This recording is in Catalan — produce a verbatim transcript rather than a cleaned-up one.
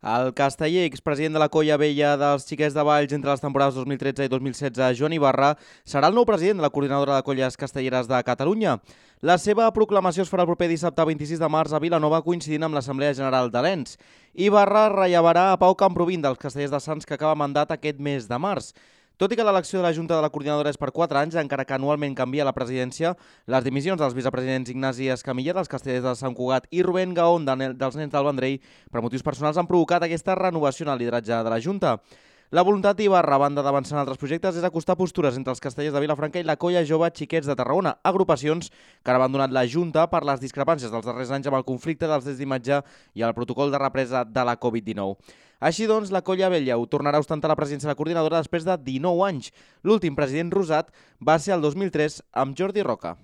El casteller, expresident de la Colla Vella dels Xiquets de Valls entre les temporades dos mil tretze i dos mil setze, Joan Ibarra, serà el nou president de la Coordinadora de Colles Castelleres de Catalunya. La seva proclamació es farà el proper dissabte vint-i-sis de març a Vilanova, coincidint amb l'Assemblea General de l'Ens. Ibarra rellevarà a Pau Camprovin dels Castellers de Sants, que acaba mandat aquest mes de març. Tot i que l'elecció de la Junta de la Coordinadora és per quatre anys, encara que anualment canvia la presidència, les dimissions dels vicepresidents Ignasi Escamilla dels Castellers de Sant Cugat i Rubén Gaón dels Nens del Vendrell per motius personals han provocat aquesta renovació en el lideratge de la Junta. La voluntat d'Ibarra, a banda d'avançar en altres projectes, és acostar postures entre els castellers de Vilafranca i la Colla Jove Xiquets de Tarragona, agrupacions que han abandonat la Junta per les discrepàncies dels darrers anys amb el conflicte dels drets d'imatge i el protocol de represa de la Covid dinou. Així doncs, la Colla Vella ho tornarà a ostentar la presidència de la coordinadora després de dinou anys. L'últim president rosat va ser el dos mil tres amb Jordi Roca.